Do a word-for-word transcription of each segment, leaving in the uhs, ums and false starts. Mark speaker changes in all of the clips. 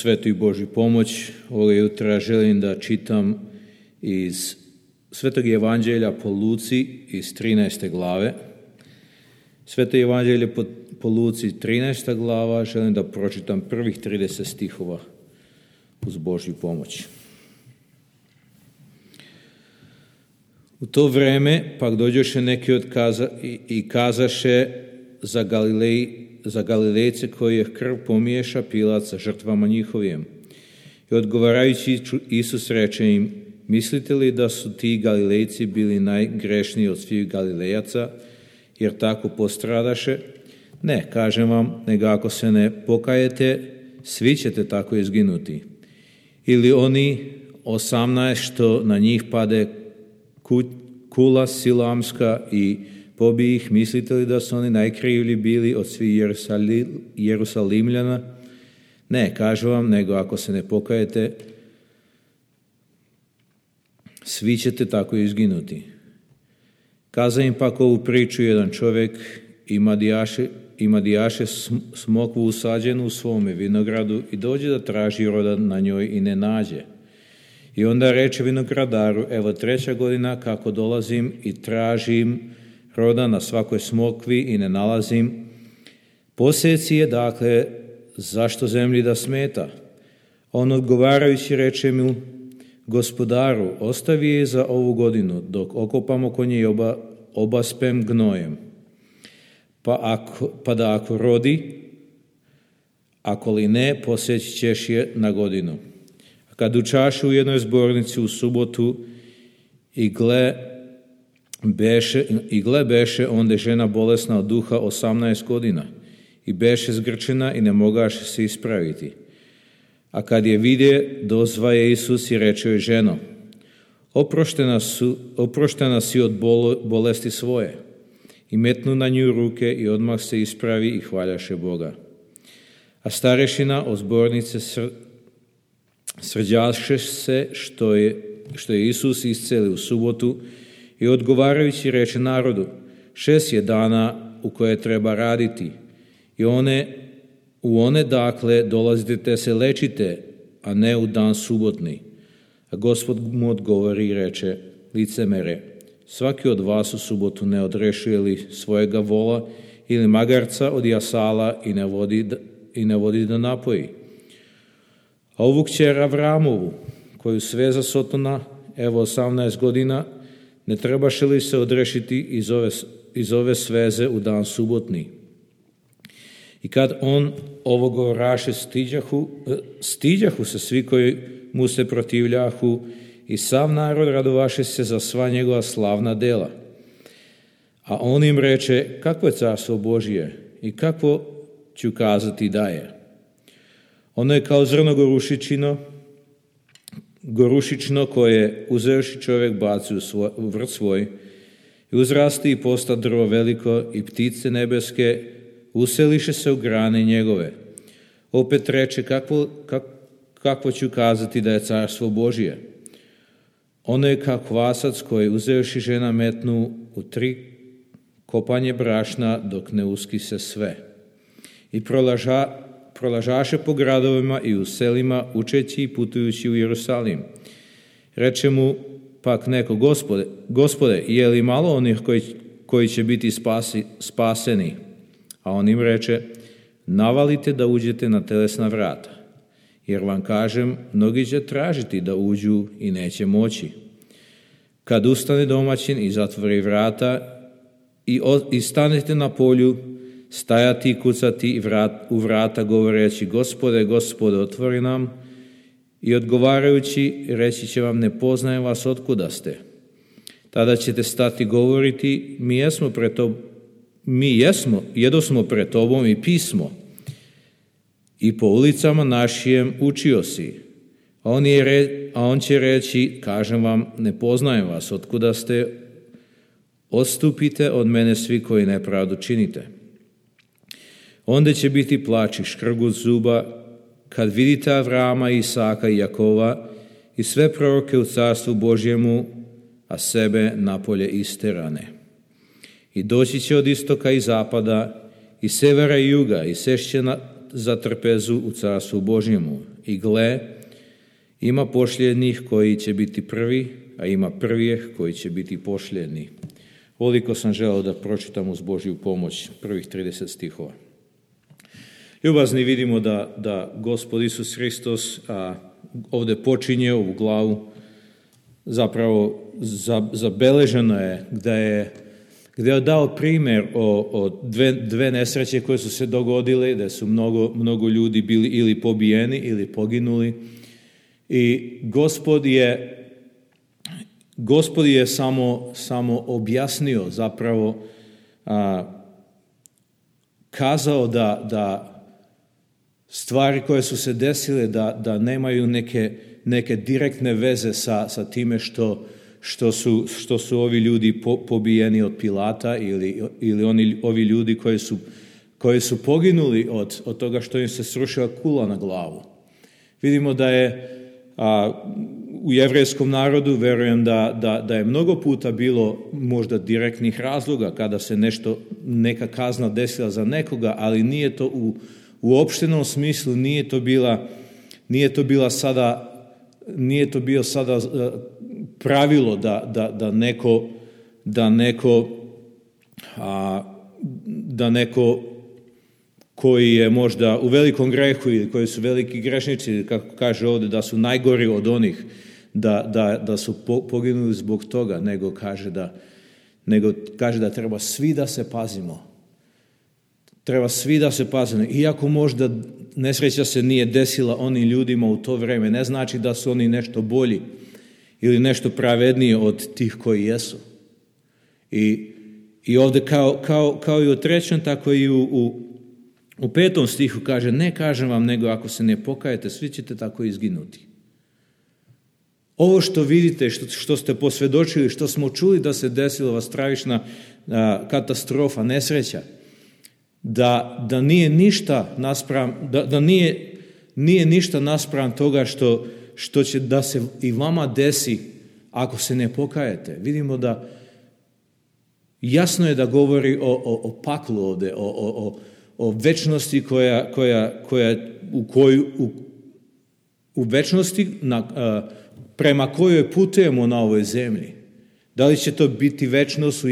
Speaker 1: svetu i Božju pomoć. Ovoga jutra želim da čitam iz Svetog evanđelja po Luci iz trinaeste glave. Sveto evanđelje po, po Luci trinaesta glava, želim da pročitam prvih trideset stihova uz Božju pomoć. U to vreme pak dođoše neki od kaza, i, i kazaše za, Galilej, za Galilejce koji je krv pomiješa Pilat sa žrtvama njihovim. I odgovarajući Isus reče im: mislite li da su ti Galilejci bili najgrešniji od svih Galilejaca, jer tako postradaše? Ne, kažem vam, nego ako se ne pokajete, svi ćete tako izginuti. Ili oni osamnaest što na njih pade kula silamska i pobije ih, mislite li da su oni najkrivlji bili od svih Jerusalimljana? Ne, kažem vam, nego ako se ne pokajete, svi ćete tako izginuti. Kaza im pak ovu priču jedan čovjek, ima dijaše, ima dijaše smokvu usađenu u svome vinogradu i dođe da traži roda na njoj i ne nađe. I onda reče vinogradaru: evo treća godina kako dolazim i tražim roda na svakoj smokvi i ne nalazim. Poseci je, dakle, zašto zemlji da smeta? On odgovarajući reče mu: gospodaru, ostavi je za ovu godinu, dok okopamo konje i oba, obaspem gnojem. Pa, ako, pa da ako rodi, ako li ne, poseći ćeš je na godinu. A kad učaše u jednoj zbornici u subotu i gle beše, i gle beše onda žena bolesna od duha osamnaest godina i beše zgrčena i ne mogaše se ispraviti. A kad je vidje, dozva je Isus i reče joj: ženo, oproštena, su, oproštena si od bol, bolesti svoje. I metnu na nju ruke i odmah se ispravi i hvaljaše Boga. A starešina od zbornice sr, srđaše se što je, što je Isus iscelio u subotu i odgovarajući reče narodu: šest je dana u koje treba raditi i one U one, dakle, dolazite te se lečite, a ne u dan subotni. A Gospod mu odgovori i reče: licemere, svaki od vas u subotu ne odrešuje li svojega vola ili magarca od jasala i ne vodi da, i ne vodi da napoji? A ovu kćer Avramovu, koju sveza Sotona, evo osamnaest godina, ne trebaše li se odrešiti iz ove, iz ove sveze u dan subotni? I kad on ovo govoraše, stiđahu, stiđahu se svi koji mu se protivljahu i sav narod radovaše se za sva njegova slavna dela. A on im reče: kakvo je carstvo Božije i kakvo ću kazati da je? Ono je kao zrno gorušičino, gorušično koje uzevši čovjek baci u, svoj, u vrt svoj i uzrasti i posta drvo veliko i ptice nebeske useliše se u grane njegove. Opet reče: kakvo, kak, kakvo ću kazati da je carstvo Božije? Ono je kao kvasac koji uzevši žena metnu u tri kopanje brašna dok ne uskise sve. I prolaža, prolažaše po gradovima i u selima učeći i putujući u Jerusalim. Reče mu pak neko: gospode, gospode, je li malo onih koji, koji će biti spasi, spaseni? A on im reče: navalite da uđete na telesna vrata, jer vam kažem, mnogi će tražiti da uđu i neće moći. Kad ustane domaćin i zatvori vrata i, o, i stanete na polju, stajati i kucati i vrat, u vrata govoreći: gospode, gospode, otvori nam. I odgovarajući reći će vam: ne poznajem vas, otkuda ste. Tada ćete stati govoriti: mi jesmo pred tobom, mi jesmo, jedosmo pred tobom i pismo, i po ulicama našijem učio si. A on, je re, a on će reći: kažem vam, ne poznajem vas, otkuda ste, odstupite od mene svi koji nepravdu činite. Onda će biti plač i škrgut zuba, kad vidite Avrama, Isaka i Jakova i sve proroke u carstvu Božjemu, a sebe napolje isterane. I doći će od istoka i zapada, i severa i juga, i sešće na, za trpezu u carstvu Božjemu. I gle, ima pošljednih koji će biti prvi, a ima prvijeh koji će biti pošljedni. Ovoliko sam želeo da pročitam uz Božju pomoć prvih trideset stihova. Ljubazni, vidimo da, da Gospod Isus Hristos a, ovdje počinje ovu glavu. Zapravo za, zabeleženo je da je gdje je dao primjer o, o dve, dve nesreće koje su se dogodile, da su mnogo, mnogo ljudi bili ili pobijeni ili poginuli. I Gospod je, Gospod je samo, samo objasnio, zapravo a, kazao da, da stvari koje su se desile da, da nemaju neke, neke direktne veze sa, sa time što Što su, što su ovi ljudi po, pobijeni od Pilata ili, ili oni, ovi ljudi koji su, koji su poginuli od, od toga što im se srušila kula na glavu. Vidimo da je a, u jevrejskom narodu, verujem da, da, da je mnogo puta bilo možda direktnih razloga kada se nešto, neka kazna desila za nekoga, ali nije to u, u opštenom smislu, nije to bila, nije to bila sada, nije to bio sada pravilo da, da, da neko, da neko, a, da neko koji je možda u velikom grehu ili koji su veliki grešnici, kako kaže ovdje, da su najgori od onih, da, da, da su po, poginuli zbog toga, nego kaže, da, nego kaže da treba svi da se pazimo. Treba svi da se pazimo. Iako možda nesreća se nije desila onim ljudima u to vrijeme, ne znači da su oni nešto bolji ili nešto pravednije od tih koji jesu. I, i ovdje kao, kao, kao i u trećem, tako i u, u, u petom stihu kaže, ne kažem vam, nego ako se ne pokajete, svi ćete tako izginuti. Ovo što vidite, što, što ste posvjedočili, što smo čuli da se desila ova stravična a, katastrofa, nesreća, da, da nije ništa naspram, da, da nije, nije ništa naspram toga što što će da se i vama desi ako se ne pokajete. Vidimo da jasno je da govori o, o, o paklu ovdje, o, o, o večnosti koja, koja, koja u, koju, u, u večnosti na, a, prema kojoj putujemo na ovoj zemlji. Da li će to biti večnost u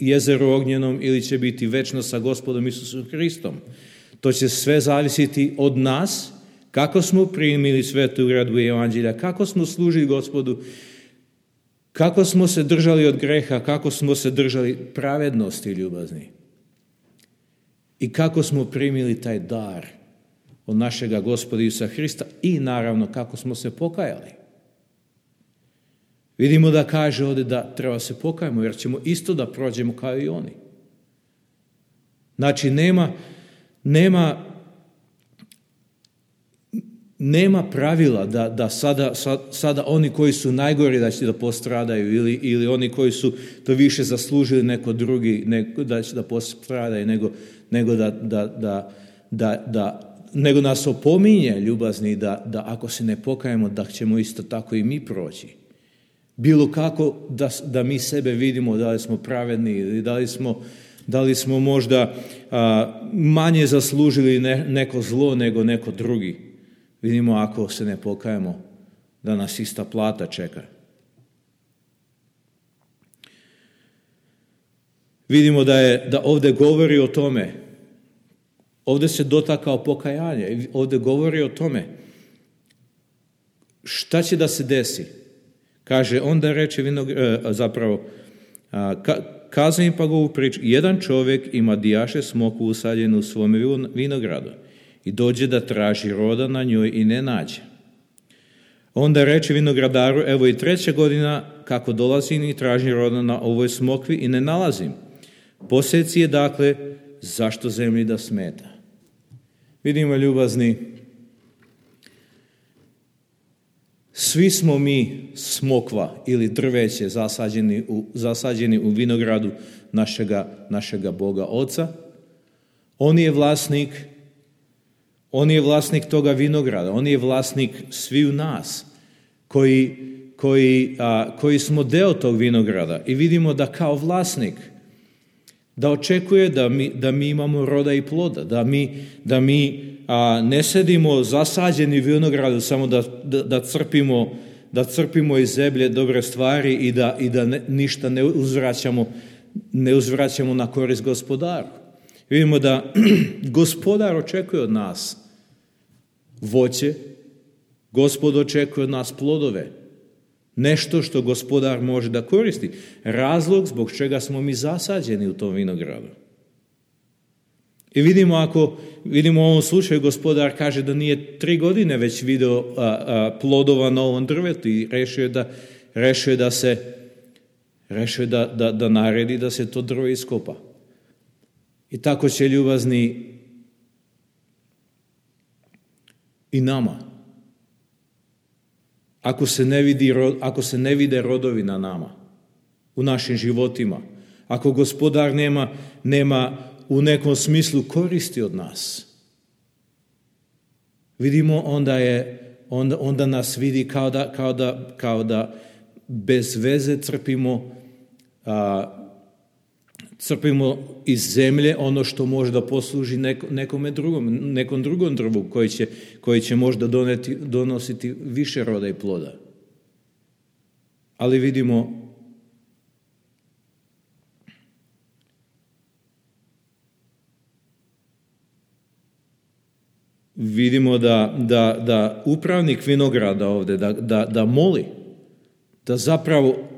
Speaker 1: jezeru ognjenom ili će biti večnost sa Gospodom Isusom Hristom. To će sve zavisiti od nas, kako smo primili svetu uredbu evanđelja, kako smo služili Gospodu, kako smo se držali od greha, kako smo se držali pravednosti ljubazni i kako smo primili taj dar od našega Gospoda Isusa Hrista i naravno kako smo se pokajali. Vidimo da kaže ovdje da treba se pokajemo jer ćemo isto da prođemo kao i oni. Znači nema, nema Nema pravila da, da sada, sada oni koji su najgori da će da postradaju ili, ili oni koji su to više zaslužili neko drugi nego, da će da postradaju, nego, nego, da, da, da, da, da, nego nas opominje ljubazni da, da ako se ne pokajemo da ćemo isto tako i mi proći. Bilo kako da, da mi sebe vidimo da li smo pravedni ili da li smo, da li smo možda a, manje zaslužili ne, neko zlo nego neko drugi. Vidimo ako se ne pokajemo da nas ista plata čeka. Vidimo da je da ovdje govori o tome. Ovdje se dotakao pokajanje. Ovdje govori o tome. Šta će da se desi? Kaže, onda reče vinog, zapravo, kazao im pa ga ovu priču. Jedan čovjek ima dijaše smoku usađenu u svome vinogradu. I dođe da traži roda na njoj i ne nađe. Onda reče vinogradaru, evo i treća godina kako dolazim i tražim roda na ovoj smokvi i ne nalazim. Posjeci je dakle, zašto zemlji da smeta? Vidimo ljubazni, svi smo mi smokva ili drveće zasađeni u, zasađeni u vinogradu našega, našega Boga Oca. On je vlasnik On je vlasnik toga vinograda, on je vlasnik sviju nas koji, koji, a, koji smo deo tog vinograda i vidimo da kao vlasnik da očekuje da mi, da mi imamo roda i ploda, da mi, da mi a, ne sedimo zasađeni u vinogradu samo da, da, da crpimo da crpimo iz zemlje dobre stvari i da, i da ne, ništa ne uzvraćamo, ne uzvraćamo na korist gospodaru. Vidimo da gospodar očekuje od nas voće, Gospod očekuje od nas plodove, nešto što gospodar može da koristi. Razlog zbog čega smo mi zasađeni u tom vinogradu. I vidimo, ako vidimo u ovom slučaju, gospodar kaže da nije tri godine već video a, a, plodova na ovom drvetu i rešio da, rešio da se rešio da, da, da naredi da se to drvo iskopa. I tako će, ljubazni, i nama. Ako se ne vidi, ako se ne vide rodovi na nama, u našim životima, ako gospodar nema, nema u nekom smislu koristi od nas, vidimo, onda je onda, onda nas vidi kao da, kao da, kao da bez veze crpimo a, crpimo iz zemlje ono što može da posluži neko, nekome drugom, nekom drugom drvu koji će, koji će možda doneti, donositi više roda i ploda. Ali vidimo vidimo da, da, da upravnik vinograda ovdje da, da, da moli, da zapravo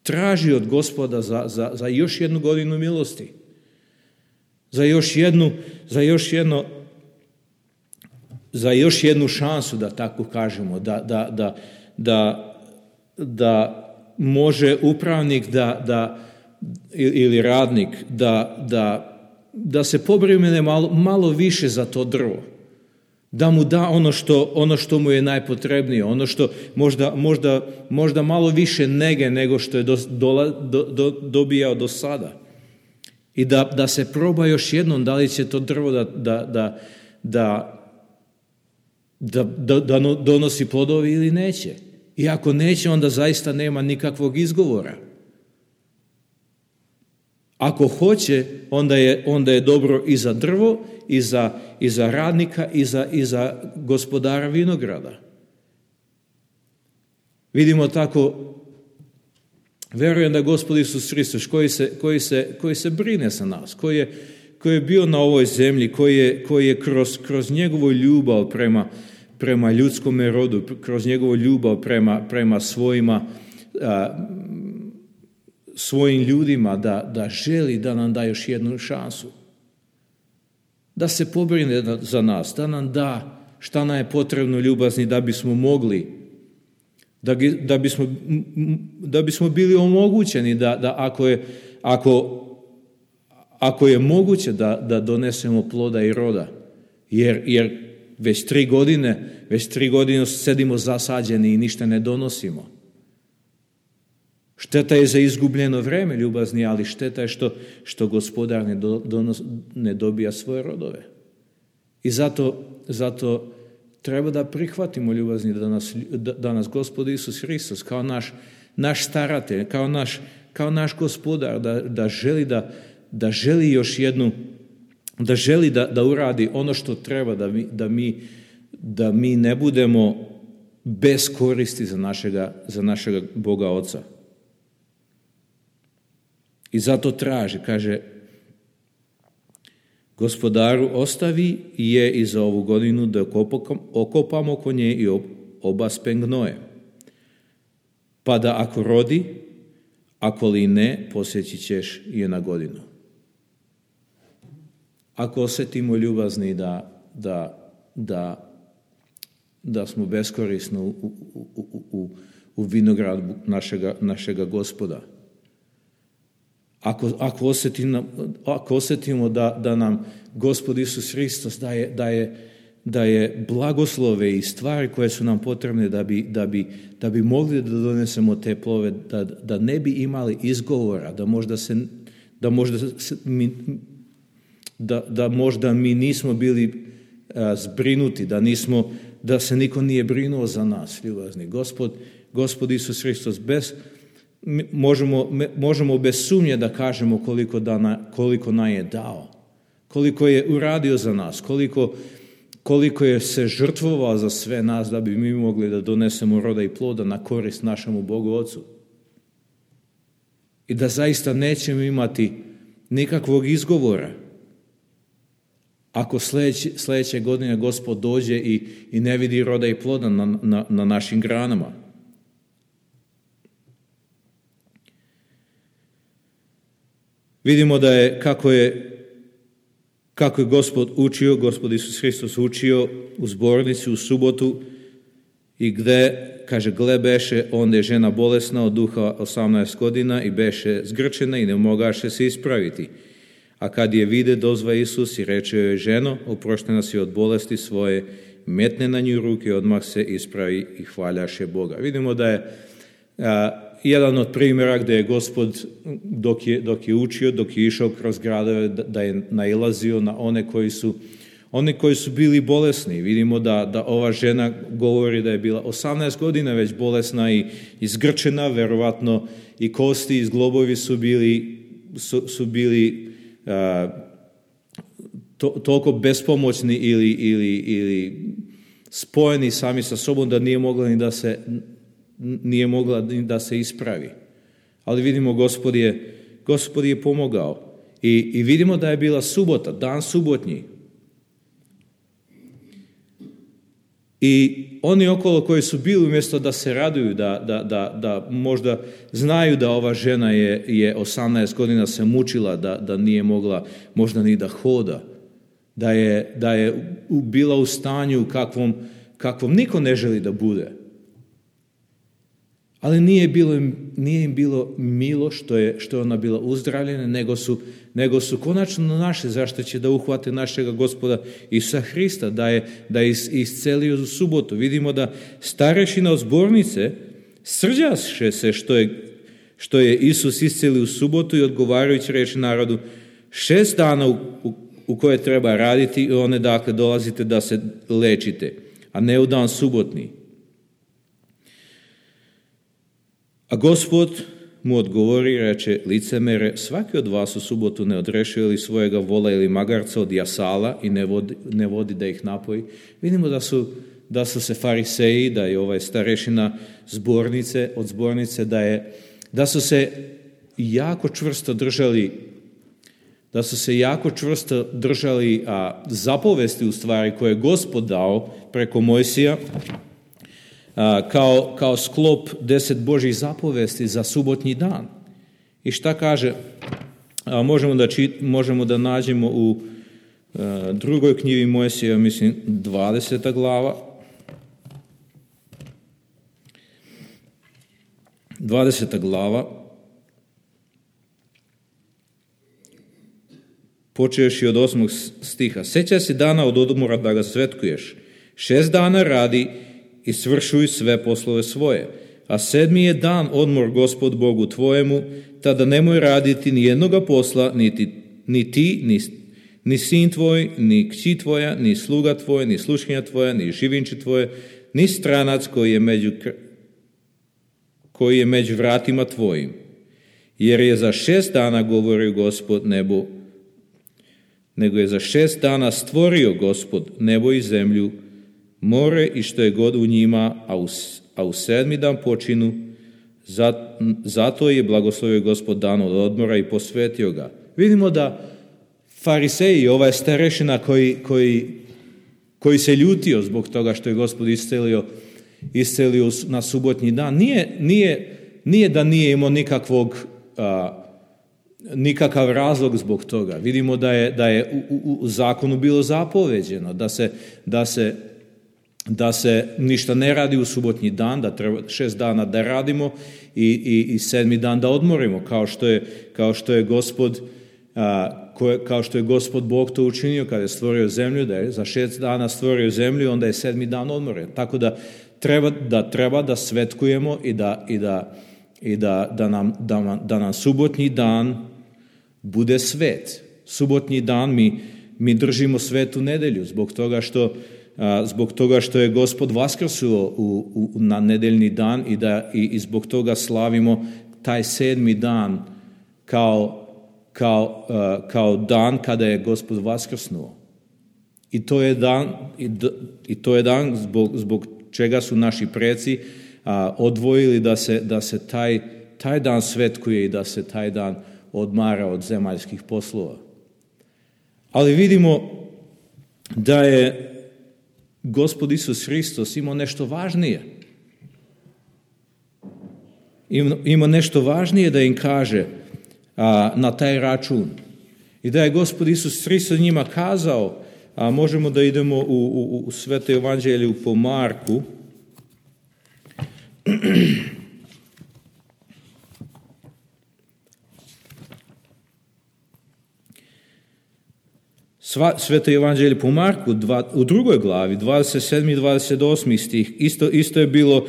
Speaker 1: traži od Gospoda za, za, za još jednu godinu milosti, za još jednu, za još jedno, za još jednu šansu, da tako kažemo, da, da, da, da, da može upravnik da, da, ili radnik da, da, da se pobrine malo, malo više za to drvo, da mu da ono što, ono što mu je najpotrebnije, ono što možda, možda, možda malo više nege nego što je do, do, do, dobijao do sada. I da, da se proba još jednom da li će to drvo da, da, da, da, da, da, da donosi plodovi ili neće. I ako neće, onda zaista nema nikakvog izgovora. Ako hoće, onda je, onda je dobro i za drvo, i za, i za radnika, i za, i za gospodara vinograda. Vidimo tako, verujem da Gospod Isus Hristos, koji se, koji se, koji se brine za nas, koji je, koji je bio na ovoj zemlji, koji je, koji je kroz, kroz njegovu ljubav prema, prema ljudskom rodu, kroz njegovu ljubav prema, prema svojima, a, svojim ljudima, da, da želi da nam da još jednu šansu. Da se pobrine za nas, da nam da šta nam je potrebno, ljubazni, da bismo mogli, da, da, bismo, da bismo bili omogućeni da, da ako, je, ako, ako je moguće da, da donesemo ploda i roda. Jer, jer već tri godine, već tri godine sedimo zasađeni i ništa ne donosimo. Šteta je za izgubljeno vreme, ljubazni, ali šteta je što, što gospodar ne, donos, ne dobija svoje rodove. I zato, zato treba da prihvatimo, ljubazni, da nas, da, da nas Gospod Isus Hristos kao naš, naš staratelj, kao naš, kao naš gospodar, da, da želi da, da želi još jednu, da želi da, da uradi ono što treba, da mi, da mi, da mi ne budemo bez koristi za našega, za našega Boga Oca. I zato traži, kaže, gospodaru, ostavi je i za ovu godinu da okopamo oko nje i obaspem gnoje. Pa da ako rodi, ako li ne, posjeći ćeš je na godinu. Ako osjetimo, ljubazni, da, da, da, da smo beskorisni u, u, u, u, u vinogradu našega, našega Gospoda, Ako, ako, osjetimo, ako osjetimo da, da nam Gospod Isus Hristos daje, daje, daje blagoslove i stvari koje su nam potrebne da bi, da bi, da bi mogli da donesemo te plove, da, da ne bi imali izgovora, da možda, se, da možda, se, mi, da, da možda mi nismo bili a, zbrinuti, da, nismo, da se niko nije brinuo za nas, ljubazni. Gospod, Gospod Isus Hristos bez Možemo, možemo bez sumnje da kažemo koliko, da na, koliko nam je dao, koliko je uradio za nas, koliko, koliko je se žrtvovao za sve nas da bi mi mogli da donesemo roda i ploda na korist našemu Bogu Ocu. I da zaista nećemo imati nikakvog izgovora ako sljedeće, sljedeće godine Gospod dođe i, i ne vidi roda i ploda na, na, na našim granama. Vidimo da je kako je kako je Gospod učio, Gospod Isus Hristos učio u zbornici u subotu i gde, kaže, gle beše, onda je žena bolesna od duha osamnaest godina i beše zgrčena i ne mogaše se ispraviti. A kad je vide, dozva Isus i reče joj, ženo, oproštena si od bolesti svoje, metne na nju ruke, odmah se ispravi i hvaljaše Boga. Vidimo da je a, jedan od primjera gdje je Gospod, dok je, dok je učio, dok je išao kroz gradove, da, da je nailazio na one koji su, one koji su bili bolesni. Vidimo da, da ova žena govori da je bila osamnaest godina već bolesna i izgrčena, verovatno i kosti i zglobovi su bili, su, su bili a, to, toliko bespomoćni ili, ili, ili spojeni sami sa sobom da nije mogla ni da se nije mogla da se ispravi. Ali vidimo, Gospod je, Gospod je pomogao. I, I vidimo da je bila subota, dan subotnji. I oni okolo koji su bili, umjesto da se raduju, da, da, da, da možda znaju da ova žena je, je osamnaest godina se mučila, da, da nije mogla možda ni da hoda, da je, da je bila u stanju kakvom, kakvom niko ne želi da bude. Ali nije, bilo, nije im bilo milo što je, što je ona bila uzdravljena, nego su, nego su konačno naše, zašto će da uhvate našega Gospoda Isusa Hrista, da je, da je iscelio u subotu. Vidimo da starešina od zbornice srđaše se što je, što je Isus iscelio u subotu i odgovarajući reči narodu, šest dana u, u, u koje treba raditi i one dakle dolazite da se lečite, a ne u dan subotni. A Gospod mu odgovori i reče, licemere, svaki od vas u subotu ne odrešuje li svojega vola ili magarca od jasala i ne vodi, ne vodi da ih napoji. Vidimo da su, da su se fariseji, da je ovaj starešina zbornice, od zbornice, da, je, da su se jako čvrsto držali, da su se jako čvrsto držali a, zapovesti u stvari koje je Gospod dao preko Mojsija, Kao, kao sklop deset Božjih zapovesti za subotnji dan. I šta kaže? A možemo, da čit, možemo da nađemo u a, drugoj knjizi Mojsija, mislim, dvadeseta glava. dvadeseta glava. Počeš i od osmog stiha. Sjećaj se dana od odmora da ga svetkuješ. Šest dana radi i svršuj sve poslove svoje. A sedmi je dan odmor Gospod Bogu tvojemu, tada nemoj raditi ni jednoga posla, niti, ni ti, ni, ni sin tvoj, ni kći tvoja, ni sluga tvoj, ni sluškinja tvoja, ni živinče tvoje, ni stranac koji je među, koji je među vratima tvojim. Jer je za šest dana, govori Gospod, nebo, nego je za šest dana stvorio Gospod nebo i zemlju, more i što je god u njima, a u, a u sedmi dan počinu, zato je blagoslovio Gospod dan od odmora i posvetio ga. Vidimo da fariseji, ova je starešina koji, koji, koji se ljutio zbog toga što je Gospod iscelio, iscelio na subotnji dan, nije, nije, nije da nije imao nikakvog, a, nikakav razlog zbog toga. Vidimo da je, da je u, u, u zakonu bilo zapoveđeno, da se, da se da se ništa ne radi u subotnji dan, da treba šest dana da radimo i, i, i sedmi dan da odmorimo, kao što je, kao što je Gospod a, koje, kao što je Gospod Bog to učinio kada je stvorio zemlju, da je za šest dana stvorio zemlju, onda je sedmi dan odmoren. Tako da treba da, treba da svetkujemo i da, i da, i da, da, nam, da, da nam subotnji dan bude svet. Subotnji dan mi, mi držimo svetu nedelju zbog toga što zbog toga što je Gospod vaskrsuo u, u, na nedeljni dan i, da, i, i zbog toga slavimo taj sedmi dan kao, kao, uh, kao dan kada je Gospod vaskrsnuo. I to je dan, i, d, i to je dan zbog, zbog čega su naši preci a, odvojili da se, da se taj, taj dan svetkuje i da se taj dan odmara od zemaljskih poslova. Ali vidimo da je Gospod Isus Hristos imao nešto važnije. Ima nešto važnije da im kaže a, na taj račun. I da je Gospod Isus Hristos njima kazao, a možemo da idemo u, u, u Sveto evanđelju po Marku. Sva, Sveto evanđelje po Marku dva, u drugoj glavi, dvadeset sedmi i dvadeset osmi stih, isto, isto je bilo,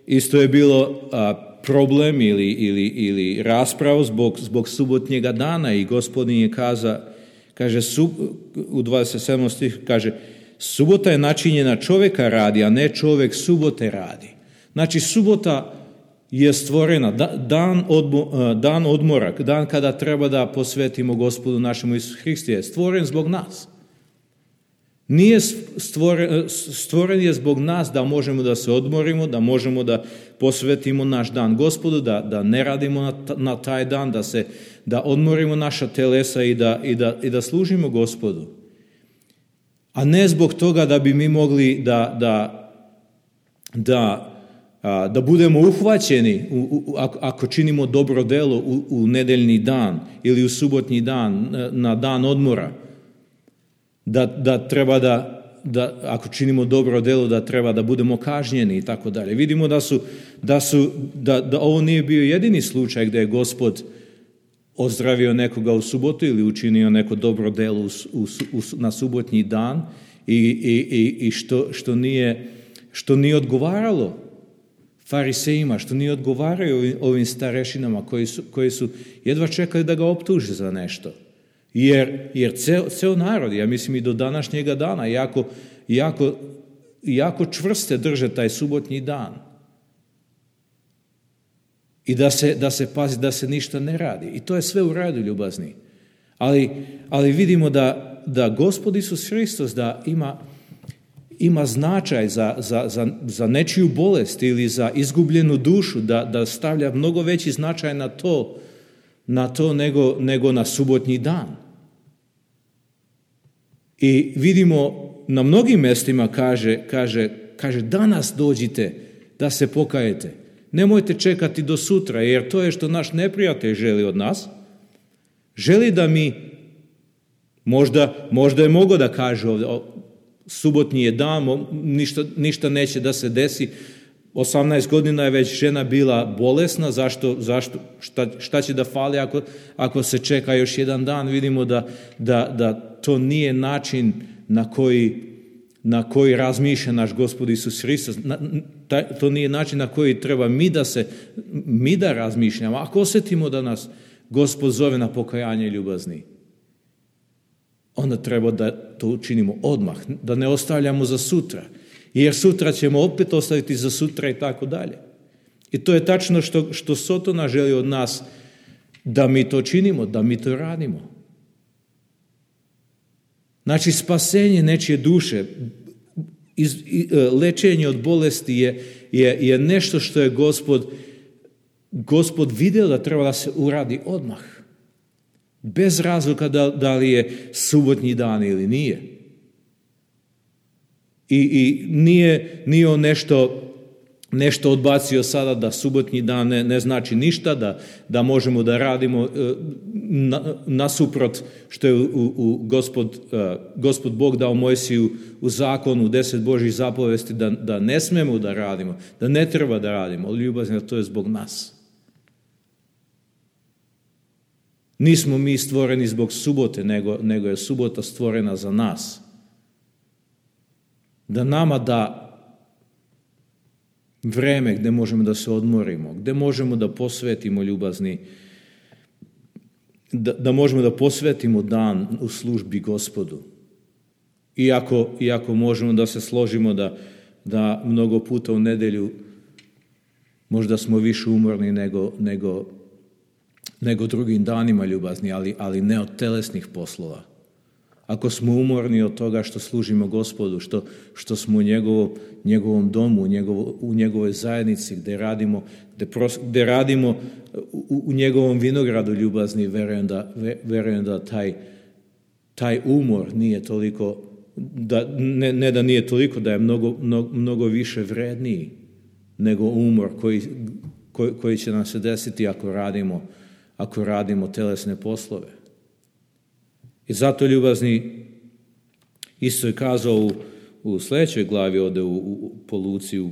Speaker 1: isto je bilo a, problem ili, ili, ili rasprava zbog, zbog subotnjega dana i Gospodin je kaza, kaže, sub, u dvadeset sedmom stihu kaže, subota je načinjena čovjeka radi, a ne čovjek subote radi. Znači, subota je stvorena, dan, odmo, dan odmora, dan kada treba da posvetimo Gospodu našemu Isu Hristu, je stvoren zbog nas. Nije stvoren, stvoren je zbog nas da možemo da se odmorimo, da možemo da posvetimo naš dan Gospodu, da, da ne radimo na, na taj dan, da, se, da odmorimo naša telesa i da, i, da, i da služimo Gospodu. A ne zbog toga da bi mi mogli da, da, da da budemo uhvaćeni u, u, ako činimo dobro delo u, u nedeljni dan ili u subotnji dan, na dan odmora, da, da treba da, da, ako činimo dobro delo, da treba da budemo kažnjeni i tako dalje. Vidimo da, su, da, su, da, da ovo nije bio jedini slučaj gdje je Gospod ozdravio nekoga u subotu ili učinio neko dobro delo u, u, u, na subotnji dan i, i, i, i što, što, nije, što nije odgovaralo farisejima, što nije odgovaraju ovim starešinama koji su, koji su jedva čekali da ga optuže za nešto. Jer, jer ceo, ceo narod, ja mislim i do današnjega dana, jako, jako, jako čvrste drže taj subotnji dan. I da se, da se pazi, da se ništa ne radi. I to je sve u redu, ljubazni. Ali, ali vidimo da, da Gospod Isus Hristos da ima ima značaj za, za, za, za nečiju bolest ili za izgubljenu dušu, da, da stavlja mnogo veći značaj na to, na to nego, nego na subotnji dan. I vidimo na mnogim mjestima kaže, kaže, kaže danas dođite da se pokajete. Nemojte čekati do sutra, jer to je što naš neprijatelj želi od nas. Želi da mi, možda, možda je mogao da kaže ovdje, subotnji je dan, ništa, ništa neće da se desi. osamnaest godina je već žena bila bolesna, zašto, zašto, šta, šta će da fali ako, ako se čeka još jedan dan? Vidimo da, da, da to nije način na koji, na koji razmišlja naš Gospod Isus Hristos. To nije način na koji treba mi da se, mi da razmišljamo. Ako osjetimo da nas Gospod zove na pokajanje ljubazni, onda treba da to učinimo odmah, da ne ostavljamo za sutra. Jer sutra ćemo opet ostaviti za sutra i tako dalje. I to je tačno što, što Sotona želi od nas, da mi to činimo, da mi to radimo. Znači, spasenje nečije duše, iz, lečenje od bolesti je, je, je nešto što je Gospod, Gospod vidio da treba da se uradi odmah. Bez razloga da, da li je subotnji dan ili nije. I, i nije, nije on nešto, nešto odbacio sada da subotnji dan ne, ne znači ništa, da, da možemo da radimo na, nasuprot što je u, u Gospod, Gospod Bog dao Mojsiju u zakonu, u deset Božjih zapovesti, da, da ne smemo da radimo, da ne treba da radimo, ali ljubazni, to je zbog nas. Nismo mi stvoreni zbog subote, nego, nego je subota stvorena za nas. Da nama da vreme gdje možemo da se odmorimo, gdje možemo da posvetimo ljubazni, da, da možemo da posvetimo dan u službi Gospodu. Iako, iako možemo da se složimo da, da mnogo puta u nedelju možda smo više umorni nego, nego, nego drugim danima ljubazni, ali, ali ne od telesnih poslova. ako smo umorni od toga što služimo Gospodu, što, što smo u njegovo, njegovom domu, u, njegovo, u njegovoj zajednici, gdje radimo, gdje pros, gdje radimo u, u njegovom vinogradu ljubazni, verujem da, verujem da taj, taj umor nije toliko, da, ne, ne da nije toliko, da je mnogo, mnogo, mnogo više vredniji nego umor koji, koji, koji će nam se desiti ako radimo, ako radimo telesne poslove. I zato, ljubazni, isto je kazao u, u sljedećoj glavi ovdje u, u, po Luci, u,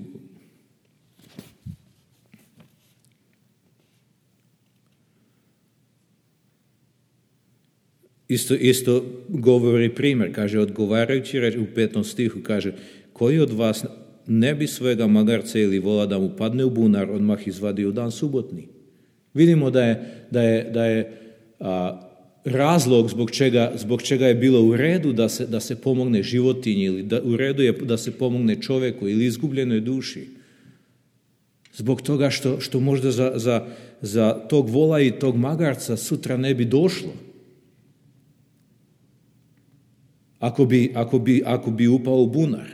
Speaker 1: isto, isto govori primjer, kaže, odgovarajući reč u petom stihu, kaže, koji od vas ne bi svojega magarca ili vola da mu padne u bunar odmah izvadio u dan subotni? Vidimo da je, da je, da je a, razlog zbog čega, zbog čega je bilo u redu da se, da se pomogne životinji ili da, u redu je da se pomogne čovjeku ili izgubljenoj duši. Zbog toga što, što možda za, za, za tog vola i tog magarca sutra ne bi došlo. Ako bi, ako bi, ako bi upao u bunar.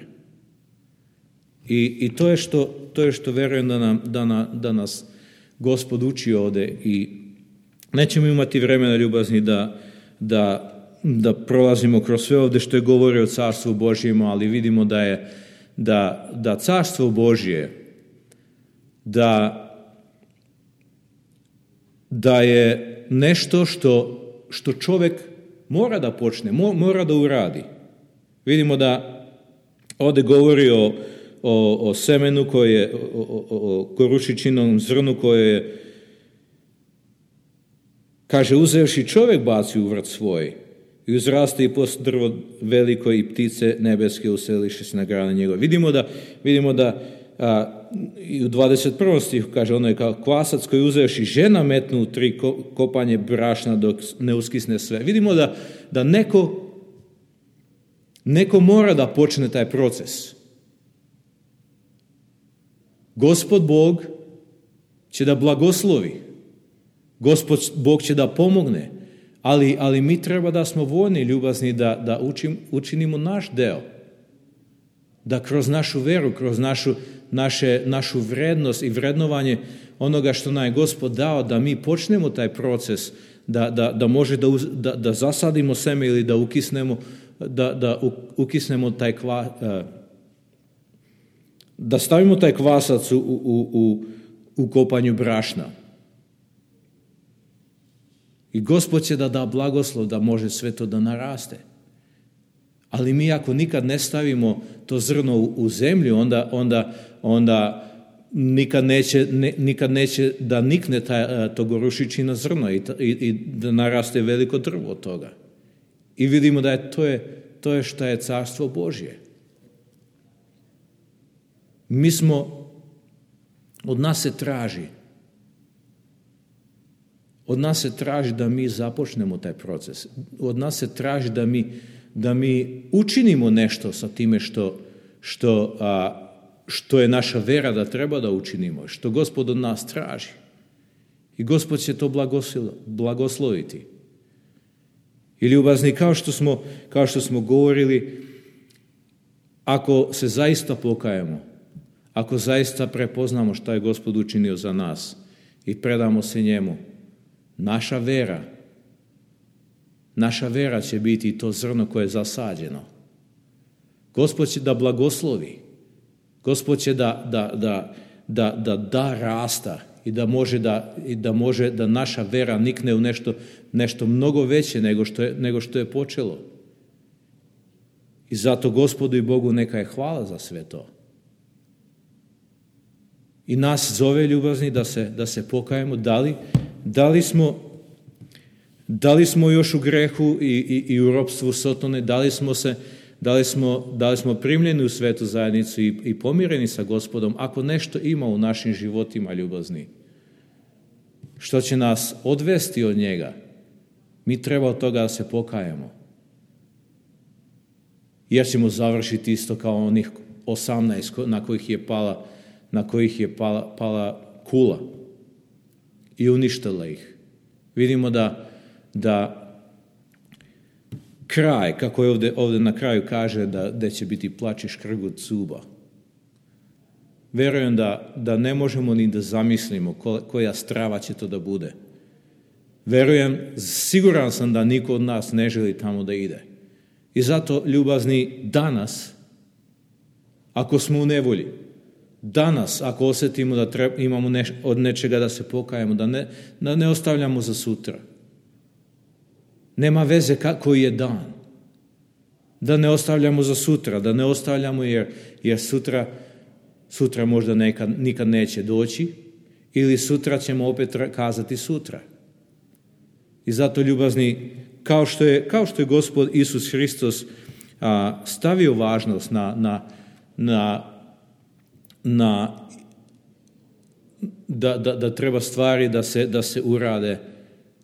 Speaker 1: I, i to je što, to je što verujem da, nam, da, na, da nas Gospod uči ovdje i nećemo imati vremena, ljubazni, da, da, da prolazimo kroz sve ovdje što je govorio o Carstvu Božjem, ali vidimo da je da, da Carstvo Božje, da, da je nešto što, što čovjek mora da počne, mora da uradi. Vidimo da ovdje govori o, o, o semenu koje, o, o, o korušičinom zrnu koje je, kaže, uzevši čovjek baci u vrt svoj i uzraste i post drvo veliko i ptice nebeske useliše se na grane njegove. Vidimo da, vidimo da a, i u dvadeset prvom stihu kaže, ono je kao kvasac koji uzevši žena metnu u tri kopanje brašna dok ne uskisne sve. Vidimo da, da neko, neko mora da počne taj proces. Gospod Bog će da blagoslovi. Gospod Bog će da pomogne, ali, ali mi treba da smo voljni, ljubazni, da, da učim, učinimo naš deo. Da kroz našu veru, kroz našu, naše, našu vrednost i vrednovanje onoga što nam je Gospod dao, da mi počnemo taj proces, da, da, da može da, da, da zasadimo seme ili da ukisnemo, da, da ukisnemo taj kva, da stavimo taj kvasac u, u, u, u kopanju brašna. I Gospod će da da blagoslov da može sve to da naraste. Ali mi ako nikad ne stavimo to zrno u, u zemlju, onda, onda, onda nikad, neće, ne, nikad neće da nikne ta, to gorušičino zrno i, i, i da naraste veliko drvo od toga. I vidimo da je to, je, to je što je Carstvo Božje. Mi smo, od nas se traži, od nas se traži da mi započnemo taj proces. Od nas se traži da mi, da mi učinimo nešto sa time što, što, a, što je naša vera da treba da učinimo, što Gospod od nas traži. I Gospod će to blagosloviti. I ljubazni, kao što smo, kao što smo govorili, ako se zaista pokajemo, ako zaista prepoznamo šta je Gospod učinio za nas i predamo se njemu, naša vera, naša vera će biti to zrno koje je zasađeno. Gospod će da blagoslovi. Gospod će da da, da, da, da, da rasta i da može da, i da može da naša vera nikne u nešto, nešto mnogo veće nego što je, nego što je počelo. I zato Gospodu i Bogu neka je hvala za sve to. I nas zove, ljubazni, da se, da se pokajemo. Da li, da li smo, da li smo još u grehu i, i, i u ropstvu Sotone? Da li smo se, da li smo, da li smo primljeni u svetu zajednicu i, i pomireni sa Gospodom? Ako nešto ima u našim životima, ljubazni, što će nas odvesti od njega, mi treba od toga da se pokajemo. Jer ćemo završiti isto kao onih osamnaest na kojih je pala na kojih je pala, pala kula i uništila ih. Vidimo da, da kraj, kako je ovdje, ovdje na kraju kaže da, da će biti plač i škrgut zuba. Vjerujem da, da ne možemo ni da zamislimo koja strava će to da bude. Vjerujem, siguran sam da niko od nas ne želi tamo da ide. I zato, ljubazni, danas, ako smo u nevolji, danas, ako osjetimo da treba, imamo neš, od nečega da se pokajemo, da ne, da ne ostavljamo za sutra. Nema veze koji je dan. Da ne ostavljamo za sutra, da ne ostavljamo jer, jer sutra, sutra možda nekad, nikad neće doći ili sutra ćemo opet kazati sutra. I zato, ljubazni, kao što je, kao što je Gospod Isus Hristos a, stavio važnost na, na, na, na da, da, da treba stvari da se, da se urade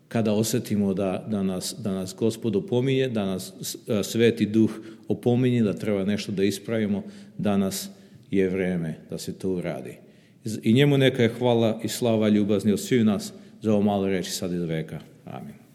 Speaker 1: kada osjetimo da, da, nas, da nas Gospod opominje, da nas Sveti Duh opominje, da treba nešto da ispravimo, danas je vrijeme da se to uradi. I njemu neka je hvala i slava ljubazni od svih nas za ovo malo reći sad i do veka. Amin.